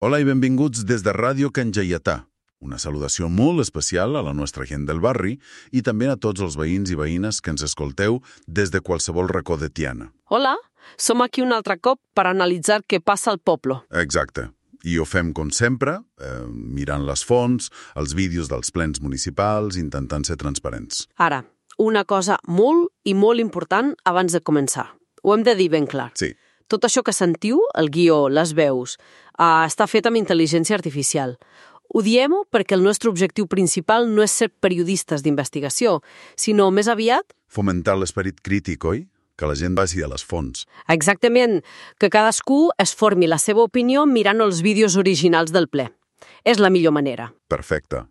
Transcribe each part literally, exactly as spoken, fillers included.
Hola i benvinguts des de Ràdio Can Gaietà. Una salutació molt especial a la nostra gent del barri i també a tots els veïns i veïnes que ens escolteu des de qualsevol racó de Tiana. Hola, som aquí un altre cop per analitzar què passa al poble. Exacte. I ho fem com sempre, eh, mirant les fonts, els vídeos dels plens municipals, intentant ser transparents. Ara, una cosa molt i molt important abans de començar. Ho hem de dir ben clar. Sí. Tot això que sentiu, el guió, les veus, eh, està fet amb intel·ligència artificial. Ho diem perquè el nostre objectiu principal no és ser periodistes d'investigació, sinó més aviat... Fomentar l'esperit crític, oi? Que la gent vagi a les fonts. Exactament, que cadascú es formi la seva opinió mirant els vídeos originals del ple. És la millor manera. Perfecte.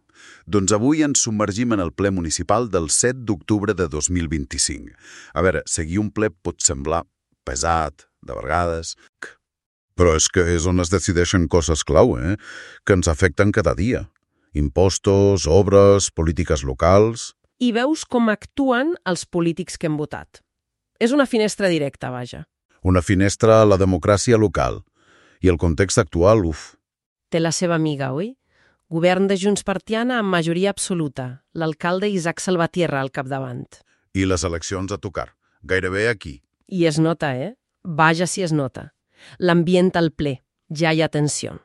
Doncs avui ens submergim en el ple municipal del set d'octubre de dos mil vint-i-cinc. A veure, seguir un ple pot semblar pesat, de vegades... Però és que és on es decideixen coses clau, eh? Que ens afecten cada dia. Impostos, obres, polítiques locals... I veus com actuen els polítics que hem votat. És una finestra directa, vaja. Una finestra a la democràcia local. I el context actual, uf. Té la seva amiga, oi? Govern de Junts per Tiana amb majoria absoluta. L'alcalde Isaac Salvatierra al capdavant. I les eleccions a tocar. Gairebé aquí. I es nota, eh? Vaja si es nota. L'ambient al ple. Ja hi ha tensió.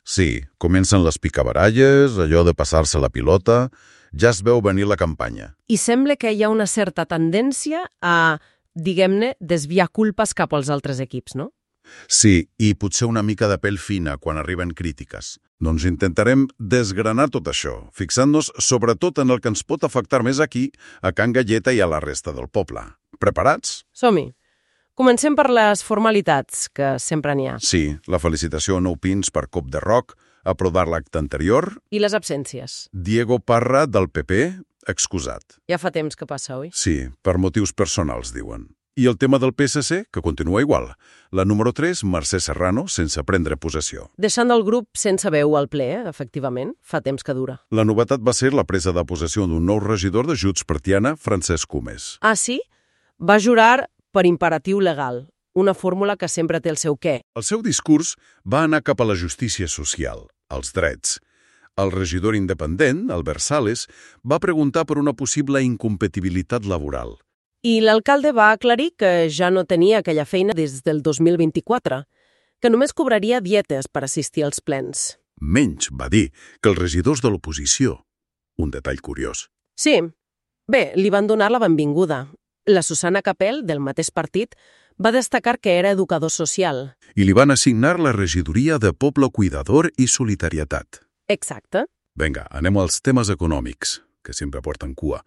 Sí, comencen les picabaralles, allò de passar-se la pilota... Ja es veu venir la campanya. I sembla que hi ha una certa tendència a, diguem-ne, desviar culpes cap als altres equips, no? Sí, i potser una mica de pell fina quan arriben crítiques. Doncs intentarem desgranar tot això, fixant-nos sobretot en el que ens pot afectar més aquí, a Can Gaietà i a la resta del poble. Preparats? Som-hi. Comencem per les formalitats, que sempre n'hi ha. Sí, la felicitació a Nou Pins per Cop de Roc, aprovar l'acte anterior... I les absències. Diego Parra, del P P, excusat. Ja fa temps que passa, oi? Sí, per motius personals, diuen. I el tema del P S C, que continua igual. La número tres, Mercè Serrano, sense prendre possessió. Deixant el grup sense veu al ple, eh? Efectivament, fa temps que dura. La novetat va ser la presa de possessió d'un nou regidor de Junts per Tiana, Francesc Comes. Ah, sí? Va jurar per imperatiu legal, una fórmula que sempre té el seu què. El seu discurs va anar cap a la justícia social, als drets. El regidor independent, Albert Sales, va preguntar per una possible incompatibilitat laboral. I l'alcalde va aclarir que ja no tenia aquella feina des del dos mil vint-i-quatre, que només cobraria dietes per assistir als plens. Menys, va dir, que els regidors de l'oposició. Un detall curiós. Sí. Bé, li van donar la benvinguda. La Susana Capel, del mateix partit, va destacar que era educador social. I li van assignar la regidoria de Poble Cuidador i Solidaritat. Exacte. Vinga, anem als temes econòmics, que sempre porten cua.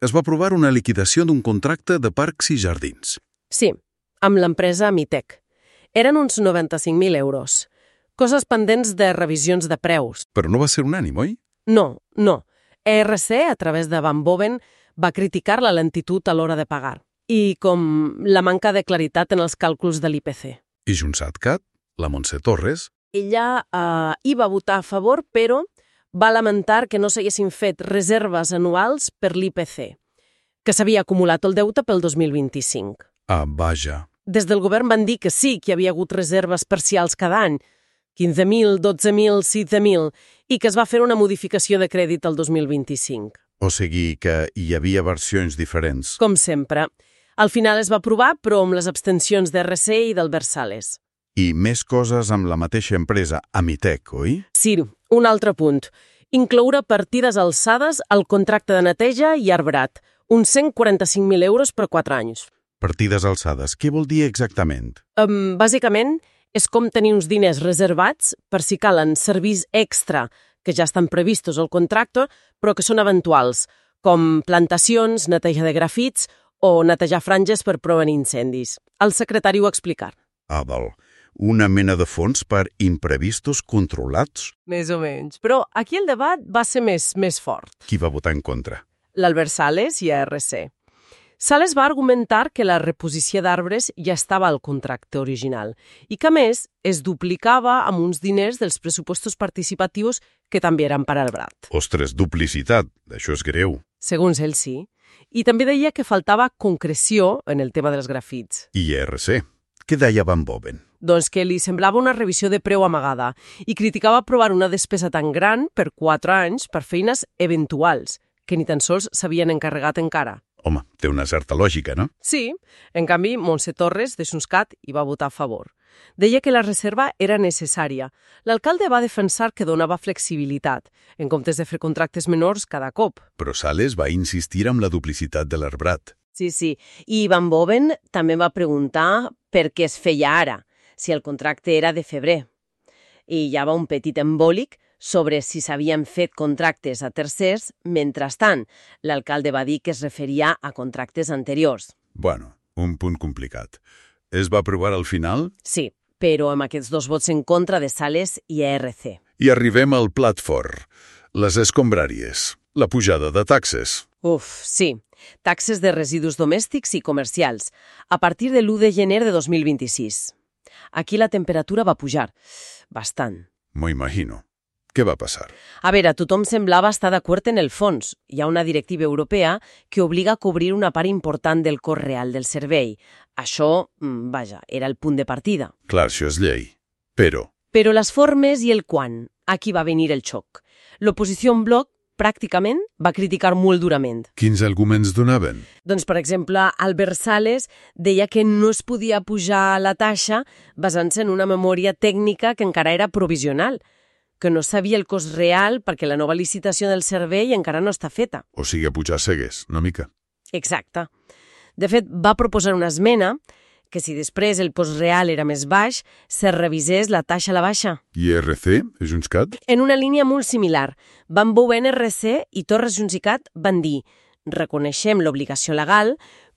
Es va aprovar una liquidació d'un contracte de parcs i jardins. Sí, amb l'empresa Amitec. Eren uns noranta-cinc mil euros. Coses pendents de revisions de preus. Però no va ser unànim, oi? No, no. E R C, a través de Van Boven, va criticar la lentitud a l'hora de pagar. I com la manca de claritat en els càlculs de l'I P C. I JxCat, la Montse Torres... Ella eh, hi va votar a favor, però va lamentar que no s'haguessin fet reserves anuals per l'I P C, que s'havia acumulat el deute pel dos mil vint-i-cinc. Ah, vaja. Des del govern van dir que sí, que hi havia hagut reserves parcials cada any, quinze mil, dotze mil, setze mil, i que es va fer una modificació de crèdit el dos mil vint-i-cinc. O sigui que hi havia versions diferents. Com sempre. Al final es va aprovar, però amb les abstencions d'R C i d'Albert Sales. I més coses amb la mateixa empresa, Amitec, oi? Sí, un altre punt. Incloure partides alçades al contracte de neteja i arbrat, uns cent quaranta-cinc mil euros per quatre anys. Partides alçades, què vol dir exactament? Um, bàsicament, és com tenir uns diners reservats per si calen serveis extra que ja estan previstos al contracte, però que són eventuals, com plantacions, neteja de grafits o netejar franges per prevenir incendis. El secretari ho va explicar. Ah, val. Una mena de fons per imprevistos controlats? Més o menys. Però aquí el debat va ser més, més fort. Qui va votar en contra? L'Albert Sales i A R C. Sales va argumentar que la reposició d'arbres ja estava al contracte original i que, a més, es duplicava amb uns diners dels pressupostos participatius que també eren per arbrat. Ostres, duplicitat, això és greu. Segons ell, sí. I també deia que faltava concreció en el tema dels grafits. I R C. Què deia Van Boven? Doncs que li semblava una revisió de preu amagada i criticava aprovar una despesa tan gran per quatre anys per feines eventuals, que ni tan sols s'havien encarregat encara. Home, té una certa lògica, no? Sí, en canvi, Montse Torres, de Xuntscat, hi va votar a favor. Deia que la reserva era necessària. L'alcalde va defensar que donava flexibilitat, en comptes de fer contractes menors cada cop. Però Sales va insistir amb la duplicitat de l'arbrat. Sí, sí. I Van Boven també va preguntar per què es feia ara, si el contracte era de febrer. I hi havia un petit embòlic sobre si s'havien fet contractes a tercers. Mentrestant, l'alcalde va dir que es referia a contractes anteriors. Bueno, un punt complicat. Es va aprovar al final? Sí, però amb aquests dos vots en contra de Sales i A R C. I arribem al plat fort, les escombràries, la pujada de taxes. Uf, sí. Taxes de residus domèstics i comercials, a partir de l'u de gener de dos mil vint-i-sis. Aquí la temperatura va pujar, bastant. M'ho imagino. Què va passar? A veure, tothom semblava estar d'acord en el fons. Hi ha una directiva europea que obliga a cobrir una part important del cost real del servei. Això, vaja, era el punt de partida. Clar, això és llei. Però... Però les formes i el quan, aquí va venir el xoc. L'oposició en bloc, pràcticament, va criticar molt durament. Quins arguments donaven? Doncs, per exemple, Albert Sales deia que no es podia pujar la taxa basant-se en una memòria tècnica que encara era provisional, que no sabia el cost real perquè la nova licitació del servei encara no està feta. O sigui, a pujar cegues, una mica. Exacte. De fet, va proposar una esmena que si després el cost real era més baix, se revisés la taxa a la baixa. I R C, Xuntscat? En una línia molt similar. Van Boven, R C i Torres Xuntscat van dir reconeixem l'obligació legal,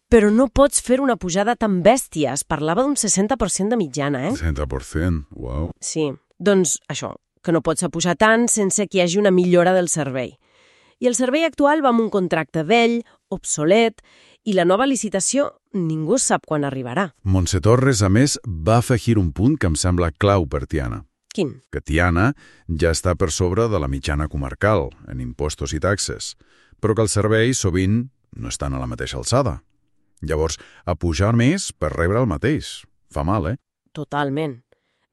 però no pots fer una pujada tan bèstia. Es parlava d'un seixanta per cent de mitjana, eh? seixanta per cent, uau. Sí, doncs això, que no pots pujar tant sense que hi hagi una millora del servei. I el servei actual va amb un contracte vell, obsolet, i la nova licitació ningú sap quan arribarà. Montse Torres, a més, va afegir un punt que em sembla clau per Tiana. Quin? Que Tiana ja està per sobre de la mitjana comarcal, en impostos i taxes, però que els serveis sovint no estan a la mateixa alçada. Llavors, a pujar més per rebre el mateix. Fa mal, eh? Totalment.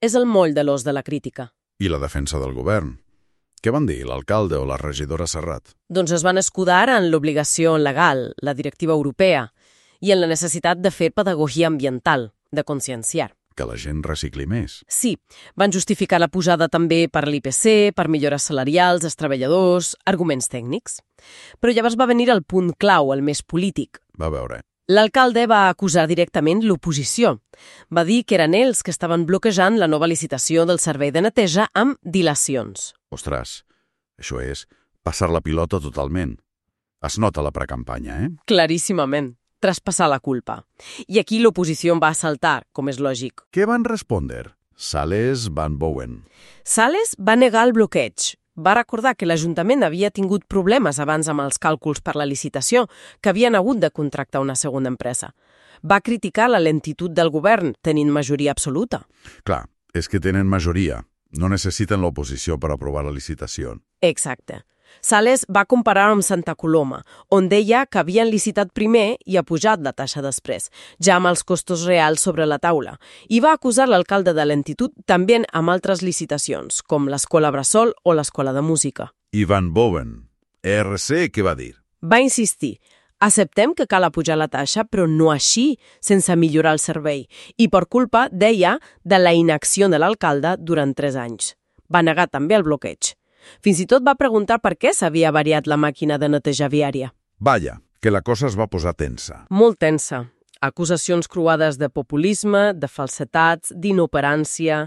És el moll de l'os de la crítica. I la defensa del govern. Què van dir l'alcalde o la regidora Serrat? Doncs es van escudar en l'obligació legal, la directiva europea, i en la necessitat de fer pedagogia ambiental, de conscienciar. Que la gent recicli més. Sí, van justificar la pujada també per l'I P C, per millores salarials dels treballadors, arguments tècnics. Però llavors va venir el punt clau, el més polític. Va veure. L'alcalde va acusar directament l'oposició. Va dir que eren ells que estaven bloquejant la nova licitació del servei de neteja amb dilacions. Ostres, això és passar la pilota totalment. Es nota la precampanya, eh? Claríssimament. Traspassar la culpa. I aquí l'oposició en va saltar, com és lògic. Què van respondre? Sales Van Boven. Sales va negar el bloqueig. Va recordar que l'Ajuntament havia tingut problemes abans amb els càlculs per la licitació, que havien hagut de contractar una segona empresa. Va criticar la lentitud del govern, tenint majoria absoluta. Clar, és que tenen majoria. No necessiten l'oposició per aprovar la licitació. Exacte. Sales va comparar amb Santa Coloma, on deia que havien licitat primer i ha pujat la taxa després, ja amb els costos reals sobre la taula, i va acusar l'alcalde de lentitud també amb altres licitacions, com l'Escola Bressol o l'Escola de Música. I Van Boven, R C, què va dir? Va insistir, acceptem que cal apujar la taxa, però no així, sense millorar el servei, i per culpa, deia, de la inacció de l'alcalde durant tres anys. Va negar també el bloqueig. Fins i tot va preguntar per què s'havia variat la màquina de neteja viària. Vaja, que la cosa es va posar tensa. Molt tensa. Acusacions cruades de populisme, de falsetats, d'inoperància.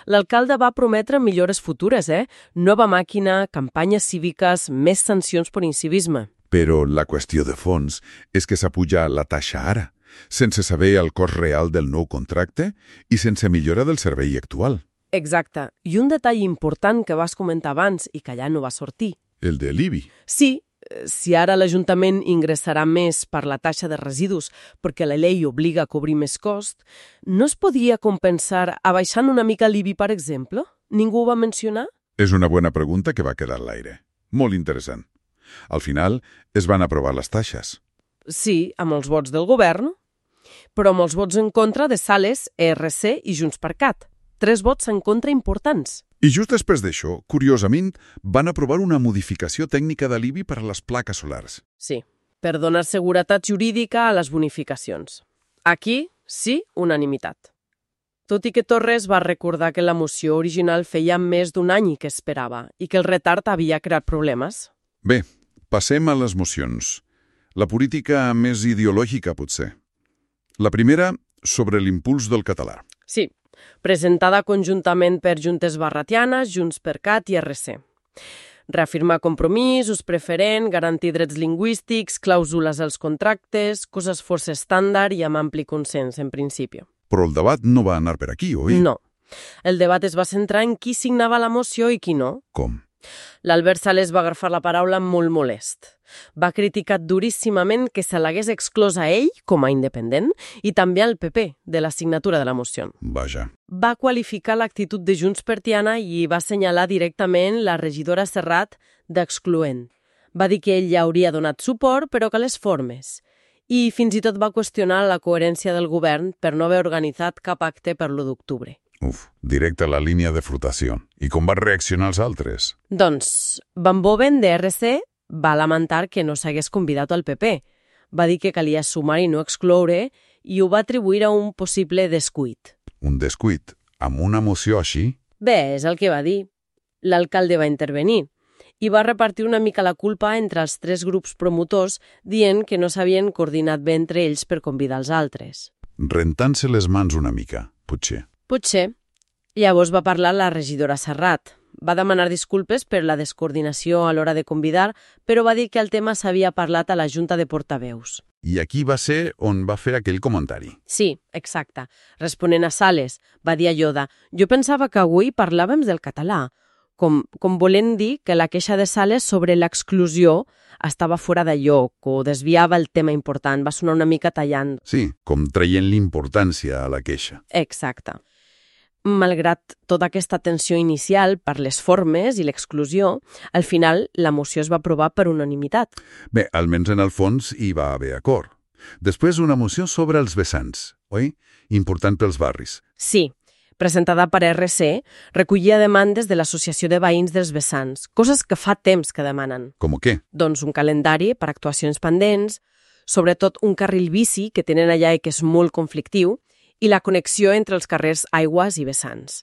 L'alcalde va prometre millores futures, eh? Nova màquina, campanyes cíviques, més sancions per incivisme. Però la qüestió de fons és que s'apuja la taxa ara, sense saber el cost real del nou contracte i sense millora del servei actual. Exacte. I un detall important que vas comentar abans i que allà no va sortir. El de l'I B I. Sí, si ara l'Ajuntament ingressarà més per la taxa de residus perquè la llei obliga a cobrir més cost, no es podria compensar abaixant una mica l'I B I, per exemple? Ningú ho va mencionar? És una bona pregunta que va quedar a l'aire. Molt interessant. Al final, es van aprovar les taixes. Sí, amb els vots del govern. però amb els vots en contra de Sales, E R C i JxCat. Tres vots en contra importants. I just després d'això, curiosament, van aprovar una modificació tècnica de l'I B I per a les plaques solars. Sí, per donar seguretat jurídica a les bonificacions. Aquí, sí, unanimitat. Tot i que Torres va recordar que la moció original feia més d'un any que esperava i que el retard havia creat problemes. Bé, passem a les mocions. La política més ideològica, potser. La primera, sobre l'impuls del català. Sí, presentada conjuntament per Juntes Barratianes, JxCat i R C. Reafirmar compromís, ús preferent, garantir drets lingüístics, clàusules als contractes, coses força estàndard i amb ampli consens, en principi. Però el debat no va anar per aquí, oi? No. El debat es va centrar en qui signava la moció i qui no. Com? L'Albert Sales va agafar la paraula molt molest. Va criticar duríssimament que se l'hagués exclòs a ell, com a independent, i també al P P, de la signatura de la moció. Vaja. Va qualificar l'actitud de Junts per Tiana i va assenyalar directament la regidora Serrat d'excloent. Va dir que ell ja hauria donat suport, però que les formes. I fins i tot va qüestionar la coherència del govern per no haver organitzat cap acte per l'u d'octubre. Uf, directe a la línia de flotació. I com van reaccionar els altres? Doncs, Van Boven, de R C, va lamentar que no s'hagués convidat al P P. Va dir que calia sumar i no excloure i ho va atribuir a un possible descuit. Un descuit? Amb una moció així? Bé, és el que va dir. L'alcalde va intervenir i va repartir una mica la culpa entre els tres grups promotors dient que no s'havien coordinat bé entre ells per convidar els altres. Rentant-se les mans una mica, potser. Potser. Llavors va parlar la regidora Serrat. Va demanar disculpes per la descoordinació a l'hora de convidar, però va dir que el tema s'havia parlat a la Junta de Portaveus. I aquí va ser on va fer aquell comentari. Sí, exacte. Responent a Sales, va dir allò de «Jo pensava que avui parlàvem del català», com, com volent dir que la queixa de Sales sobre l'exclusió estava fora de lloc o desviava el tema important, va sonar una mica tallant. Sí, com traient l'importància a la queixa. Exacte. Malgrat tota aquesta tensió inicial per les formes i l'exclusió, al final la moció es va aprovar per unanimitat. Bé, almenys en el fons hi va haver acord. Després una moció sobre els vessants, oi? Important pels barris. Sí, presentada per R C, recollia demandes de l'Associació de Veïns dels Vessants, coses que fa temps que demanen. Com què? Doncs un calendari per actuacions pendents, sobretot un carril bici que tenen allà i que és molt conflictiu, i la connexió entre els carrers Aigües i Vessants.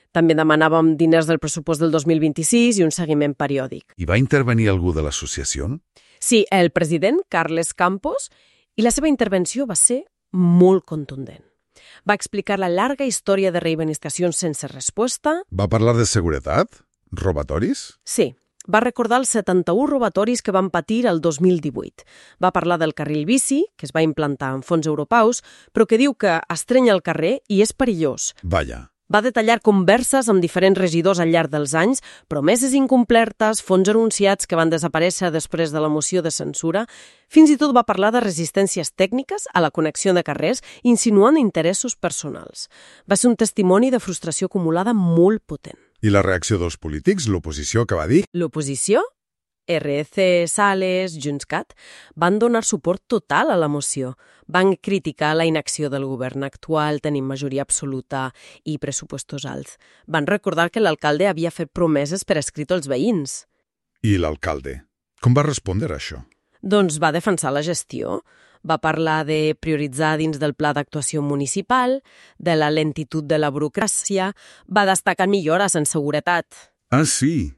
També demanàvem diners del pressupost del dos mil vint-i-sis i un seguiment periòdic. I va intervenir algú de l'associació? Sí, el president, Carles Campos, i la seva intervenció va ser molt contundent. Va explicar la llarga història de reivindicacions sense resposta. Va parlar de seguretat? Robatoris? Sí. Va recordar els setanta-u robatoris que van patir el dos mil divuit. Va parlar del carril bici, que es va implantar en fons europeus, però que diu que estreny el carrer i és perillós. Vaja. Va detallar converses amb diferents regidors al llarg dels anys, promeses incomplertes, fons anunciats que van desaparèixer després de la moció de censura. Fins i tot va parlar de resistències tècniques a la connexió de carrers, insinuant interessos personals. Va ser un testimoni de frustració acumulada molt potent. I la reacció dels polítics, l'oposició, que va dir? L'oposició? R C, Sales, JxCat, van donar suport total a la moció. Van criticar la inacció del govern actual, tenint majoria absoluta i pressupostos alts. Van recordar que l'alcalde havia fet promeses per escrit als veïns. I l'alcalde? Com va respondre a això? Doncs va defensar la gestió. Va parlar de prioritzar dins del pla d'actuació municipal, de la lentitud de la burocràcia, va destacar millores en seguretat. Ah, sí.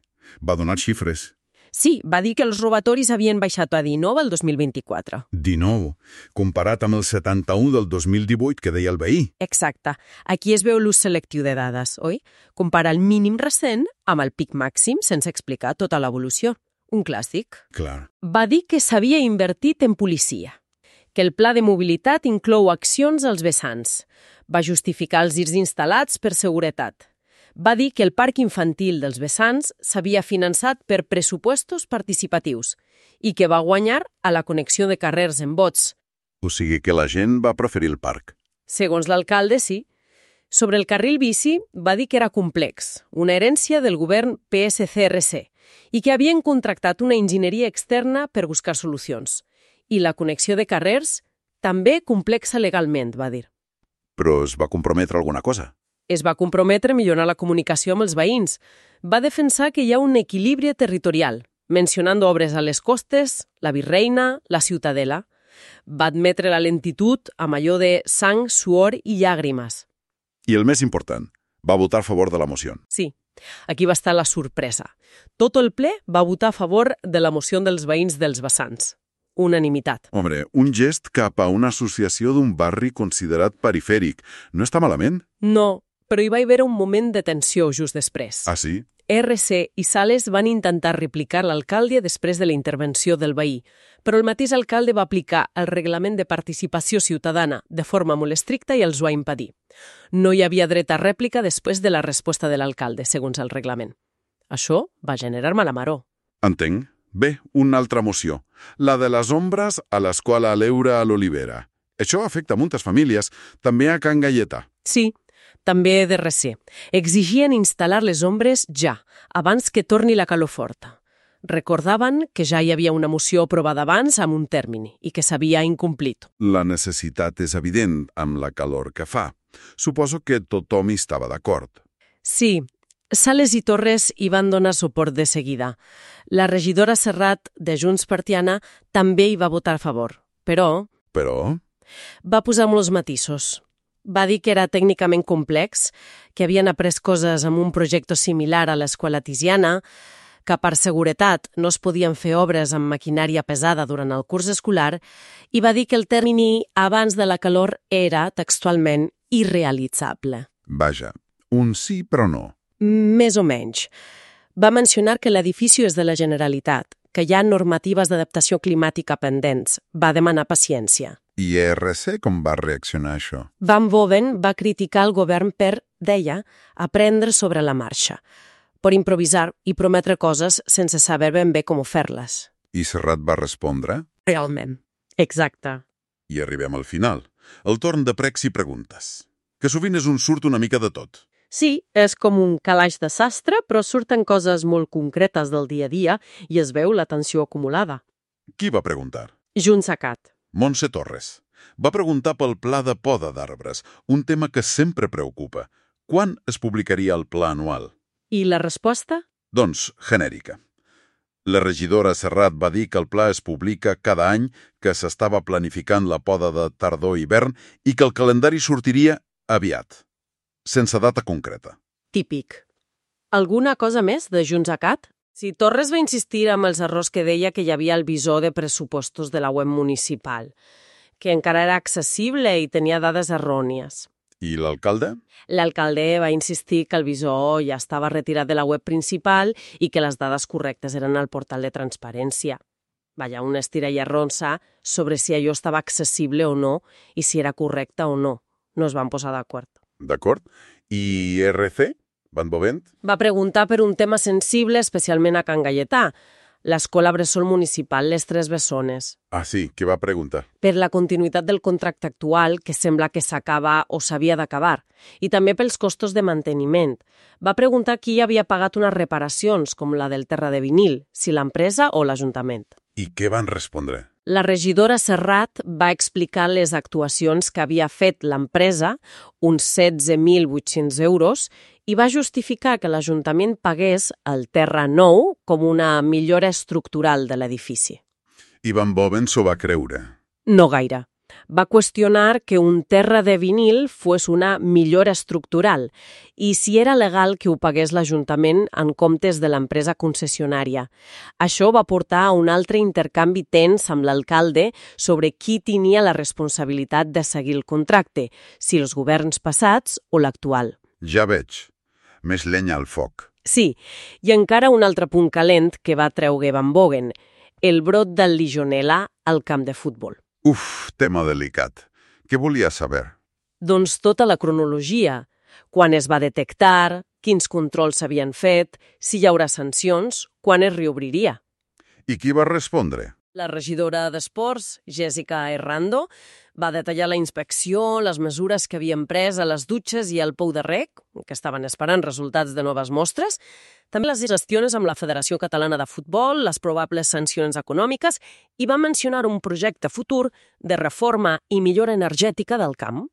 Va donar xifres. Sí, va dir que els robatoris havien baixat a dinou el dos mil vint-i-quatre. dinou, comparat amb el setanta-u del dos mil divuit que deia el veí. Exacte. Aquí es veu l'ús selectiu de dades, oi? Compara el mínim recent amb el pic màxim sense explicar tota l'evolució. Un clàssic. Clar. Va dir que s'havia invertit en policia, que el pla de mobilitat inclou accions als vessants. Va justificar els girs instal·lats per seguretat. Va dir que el parc infantil dels vessants s'havia finançat per pressupostos participatius i que va guanyar a la connexió de carrers en vots. O sigui que la gent va preferir el parc. Segons l'alcalde, sí. Sobre el carril bici, va dir que era complex, una herència del govern P S C R C, i que havien contractat una enginyeria externa per buscar solucions. I la connexió de carrers, també complexa legalment, va dir. Però es va comprometre alguna cosa? Es va comprometre a millorar la comunicació amb els veïns. Va defensar que hi ha un equilibri territorial, mencionant obres a les costes, la Virreina, la Ciutadela. Va admetre la lentitud amb allò de sang, suor i llàgrimes. I el més important, va votar a favor de la moció. Sí, aquí va estar la sorpresa. Tot el ple va votar a favor de la moció dels veïns dels vessants. Unanimitat. Hombre, un gest cap a una associació d'un barri considerat perifèric. No està malament? No, però hi va haver un moment de tensió just després. Ah, sí? R C i Sales van intentar replicar l'alcalde després de la intervenció del veí, però el mateix alcalde va aplicar el reglament de participació ciutadana de forma molt estricta i els ho va impedir. No hi havia dret a rèplica després de la resposta de l'alcalde, segons el reglament. Això va generar mala maror. Entenc. Bé, una altra moció. La de les ombres a l'escola Leure a l'Olivera. Això afecta moltes famílies, també a Can Galleta. Sí, també de R C. Exigien instal·lar les ombres ja, abans que torni la calor forta. Recordaven que ja hi havia una moció aprovada abans amb un termini i que s'havia incomplit. La necessitat és evident amb la calor que fa. Suposo que tothom hi estava d'acord. Sí, Sales i Torres hi van donar suport de seguida. La regidora Serrat, de Junts per Tiana, també hi va votar a favor. Però... Però? Va posar molts matisos. Va dir que era tècnicament complex, que havien après coses amb un projecte similar a l'escola Tiziana, que per seguretat no es podien fer obres amb maquinària pesada durant el curs escolar, i va dir que el termini abans de la calor era, textualment, irrealitzable. Vaja, un sí però no. Més o menys. Va mencionar que l'edifici és de la Generalitat, que hi ha normatives d'adaptació climàtica pendents. Va demanar paciència. I R C com va reaccionar a això? Van Boven va criticar el govern per, deia, aprendre sobre la marxa, per improvisar i prometre coses sense saber ben bé com fer-les. I Serrat va respondre? Realment. Exacte. I arribem al final. El torn de pregs i preguntes. Que sovint és un surt una mica de tot. Sí, és com un calaix de sastre, però surten coses molt concretes del dia a dia i es veu la tensió acumulada. Qui va preguntar? Juntsacat. Montse Torres. Va preguntar pel pla de poda d'arbres, un tema que sempre preocupa. Quan es publicaria el pla anual? I la resposta? Doncs, genèrica. La regidora Serrat va dir que el pla es publica cada any, que s'estava planificant la poda de tardor-hivern i que el calendari sortiria aviat, sense data concreta. Típic. Alguna cosa més de Juntsacat? Si Torres va insistir amb els errors que deia que hi havia el visor de pressupostos de la web municipal, que encara era accessible i tenia dades errònies. I l'alcalde? L'alcalde va insistir que el visor ja estava retirat de la web principal i que les dades correctes eren al portal de transparència. Vaja, una estira i arronsa sobre si allò estava accessible o no i si era correcte o no. No es van posar d'acord. D'acord. I R C? Van Bovent? Va preguntar per un tema sensible, especialment a Can Galleta, l'escola bressol municipal Les Tres Bessones. Ah, sí, què va preguntar? Per la continuïtat del contracte actual, que sembla que s'acaba o s'havia d'acabar, i també pels costos de manteniment. Va preguntar qui havia pagat unes reparacions, com la del terra de vinil, si l'empresa o l'Ajuntament. I què van respondre? La regidora Serrat va explicar les actuacions que havia fet l'empresa, uns setze mil vuit-cents euros, i va justificar que l'Ajuntament pagués el terra nou com una millora estructural de l'edifici. I Van Boven s'ho va creure? No gaire. Va qüestionar que un terra de vinil fos una millora estructural i si era legal que ho pagués l'Ajuntament en comptes de l'empresa concessionària. Això va portar a un altre intercanvi tens amb l'alcalde sobre qui tenia la responsabilitat de seguir el contracte, si els governs passats o l'actual. Ja veig. Més llenya al foc. Sí, i encara un altre punt calent que va treure Van Boven, el brot del Legionella al camp de futbol. Uf, tema delicat. Què volia saber? Doncs tota la cronologia. Quan es va detectar, quins controls s'havien fet, si hi haurà sancions, quan es reobriria. I qui va respondre? La regidora d'Esports, Jessica Errando, va detallar la inspecció, les mesures que havien pres a les dutxes i al pou de rec, que estaven esperant resultats de noves mostres, també les gestions amb la Federació Catalana de Futbol, les probables sancions econòmiques, i va mencionar un projecte futur de reforma i millora energètica del camp.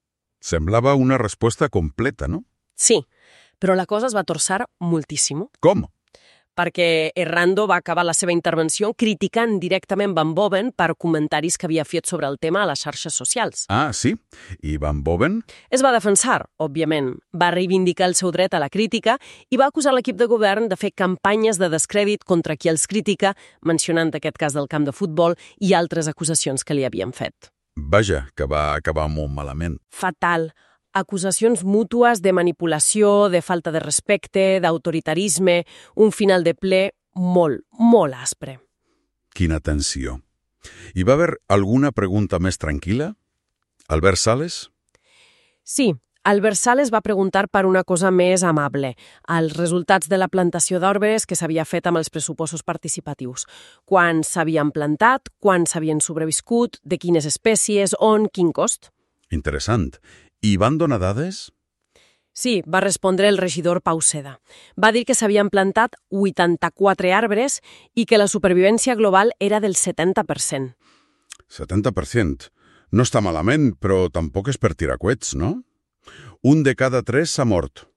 Semblava una resposta completa, no? Sí, però la cosa es va torçar moltíssim. Com? Perquè Errando va acabar la seva intervenció criticant directament Van Boven per comentaris que havia fet sobre el tema a les xarxes socials. Ah, sí? I Van Boven? Es va defensar, òbviament. Va reivindicar el seu dret a la crítica i va acusar l'equip de govern de fer campanyes de descrèdit contra qui els critica, mencionant aquest cas del camp de futbol i altres acusacions que li havien fet. Vaja, que va acabar molt malament. Fatal. Acusacions mútues de manipulació, de falta de respecte, d'autoritarisme, un final de ple molt, molt aspre. Quina tensió. Hi va haver alguna pregunta més tranquil·la? Albert Sales? Sí, Albert Sales va preguntar per una cosa més amable, els resultats de la plantació d'arbres que s'havia fet amb els pressupostos participatius. Quan s'havien plantat, quan s'havien sobreviscut, de quines espècies, on, quin cost. Interessant. I van donar dades? Sí, va respondre el regidor Pau Seda. Va dir que s'havien plantat vuitanta-quatre arbres i que la supervivència global era del setanta per cent. setanta per cent. No està malament, però tampoc és per tirar coets, no? Un de cada tres s'ha mort.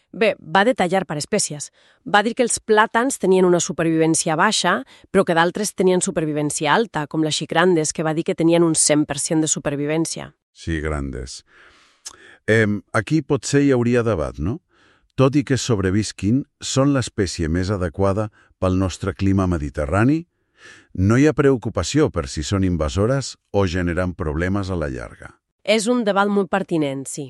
Bé, va detallar per espècies. Va dir que els plàtans tenien una supervivència baixa, però que d'altres tenien supervivència alta, com les xicrandes, que va dir que tenien un cent per cent de supervivència. Sí, grandes. Eh, aquí potser hi hauria debat, no? Tot i que sobrevisquin, són l'espècie més adequada pel nostre clima mediterrani? No hi ha preocupació per si són invasores o generen problemes a la llarga. És un debat molt pertinent, sí.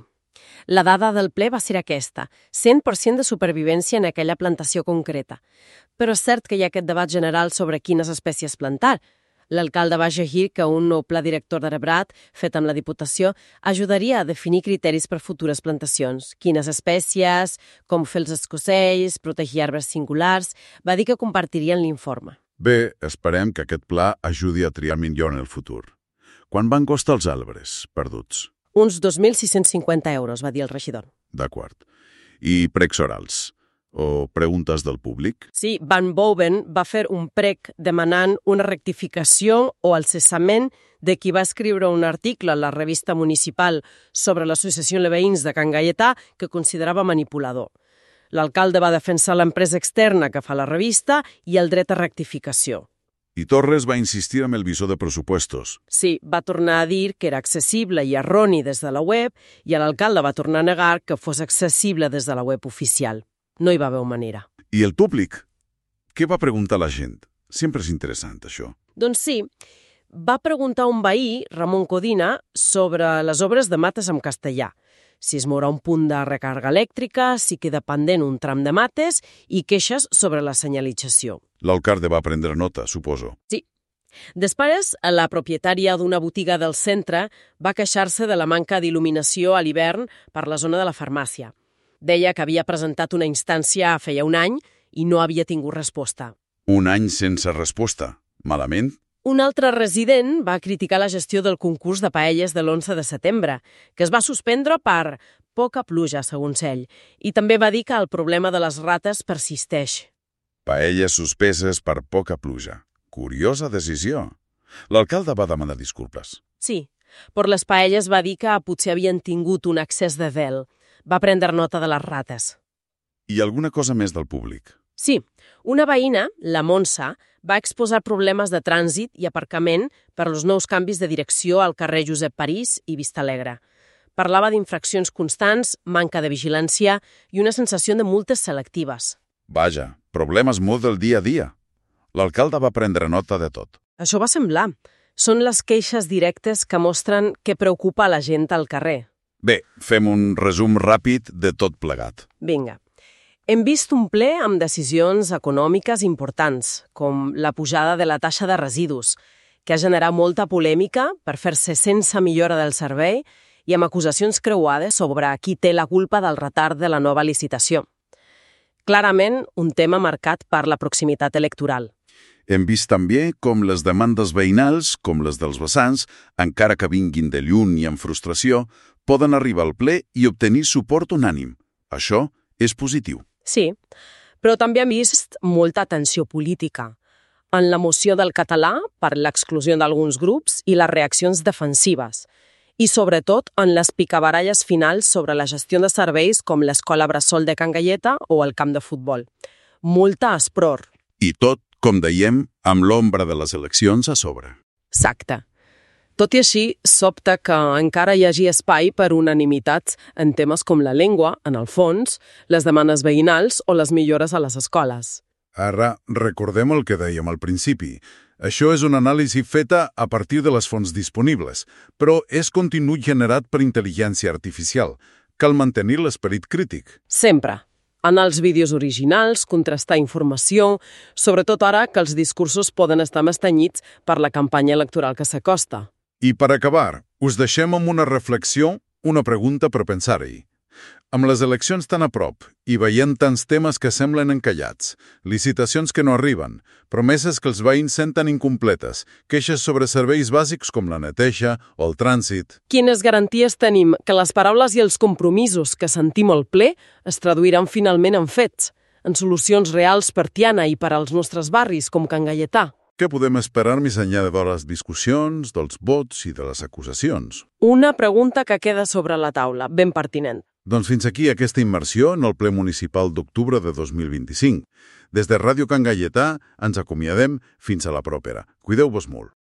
La dada del ple va ser aquesta, cent per cent de supervivència en aquella plantació concreta. Però és cert que hi ha aquest debat general sobre quines espècies plantar. L'alcalde va llegir que un nou pla director d'Arbrat, fet amb la Diputació, ajudaria a definir criteris per futures plantacions. Quines espècies, com fer els escocells, protegir arbres singulars. Va dir que compartirien l'informe. Bé, esperem que aquest pla ajudi a triar millor en el futur. Quan van costar els arbres perduts? Uns dos mil sis-cents cinquanta euros, va dir el regidor. D'acord. I precs orals? O preguntes del públic? Sí, Van Boven va fer un prec demanant una rectificació o el cessament de qui va escriure un article a la revista municipal sobre l'associació de veïns de Can Gaietà que considerava manipulador. L'alcalde va defensar l'empresa externa que fa la revista i el dret a rectificació. I Torres va insistir amb el visor de pressupostos. Sí, va tornar a dir que era accessible i erroni des de la web i l'alcalde va tornar a negar que fos accessible des de la web oficial. No hi va haver manera. I el públic? Què va preguntar la gent? Sempre és interessant, això. Doncs sí, va preguntar un veí, Ramon Codina, sobre les obres de mates en castellà. Si es mourà un punt de recàrrega elèctrica, si queda pendent un tram de mates i queixes sobre la senyalització. L'alcalde va prendre nota, suposo. Sí. Després, la propietària d'una botiga del centre va queixar-se de la manca d'il·luminació a l'hivern per la zona de la farmàcia. Deia que havia presentat una instància feia un any i no havia tingut resposta. Un any sense resposta. Malament? Un altre resident va criticar la gestió del concurs de paelles de l'onze de setembre, que es va suspendre per poca pluja, segons ell, i també va dir que el problema de les rates persisteix. Paelles suspeses per poca pluja. Curiosa decisió. L'alcalde va demanar disculpes. Sí, per les paelles va dir que potser havien tingut un excés de vel. Va prendre nota de les rates. I alguna cosa més del públic? Sí, una veïna, la Montse, va exposar problemes de trànsit i aparcament per als nous canvis de direcció al carrer Josep París i Vista Alegre. Parlava d'infraccions constants, manca de vigilància i una sensació de multes selectives. Vaja, problemes molt del dia a dia. L'alcalde va prendre nota de tot. Això va semblar. Són les queixes directes que mostren què preocupa la gent al carrer. Bé, fem un resum ràpid de tot plegat. Vinga. Hem vist un ple amb decisions econòmiques importants, com la pujada de la taxa de residus, que ha generat molta polèmica per fer-se sense millora del servei i amb acusacions creuades sobre qui té la culpa del retard de la nova licitació. Clarament, un tema marcat per la proximitat electoral. Hem vist també com les demandes veïnals, com les dels vessants, encara que vinguin de lluny i amb frustració, poden arribar al ple i obtenir suport unànim. Això és positiu. Sí, però també hem vist molta tensió política en la moció del català per l'exclusió d'alguns grups i les reaccions defensives, i sobretot en les picabaralles finals sobre la gestió de serveis com l'escola Bressol de Can Galleta o el camp de futbol. Molta espror. I tot, com dèiem, amb l'ombra de les eleccions a sobre. Exacte. Tot i així, sobta que encara hi hagi espai per unanimitats en temes com la llengua, en el fons, les demandes veïnals o les millores a les escoles. Ara, recordem el que dèiem al principi. Això és una anàlisi feta a partir de les fonts disponibles, però és contingut generat per intel·ligència artificial. Cal mantenir l'esperit crític. Sempre. Anar als vídeos originals, contrastar informació, sobretot ara que els discursos poden estar més tenyits per la campanya electoral que s'acosta. I per acabar, us deixem amb una reflexió, una pregunta per pensar-hi. Amb les eleccions tan a prop i veient tants temes que semblen encallats, licitacions que no arriben, promeses que els veïns senten incompletes, queixes sobre serveis bàsics com la neteja o el trànsit... Quines garanties tenim que les paraules i els compromisos que sentim al ple es traduiran finalment en fets, en solucions reals per Tiana i per als nostres barris com Can Gaietà? Què podem esperar més enllà de les discussions, dels vots i de les acusacions? Una pregunta que queda sobre la taula, ben pertinent. Doncs fins aquí aquesta immersió en el ple municipal d'octubre de dos mil vint-i-cinc. Des de Ràdio Can Gaietà ens acomiadem fins a la propera. Cuideu-vos molt.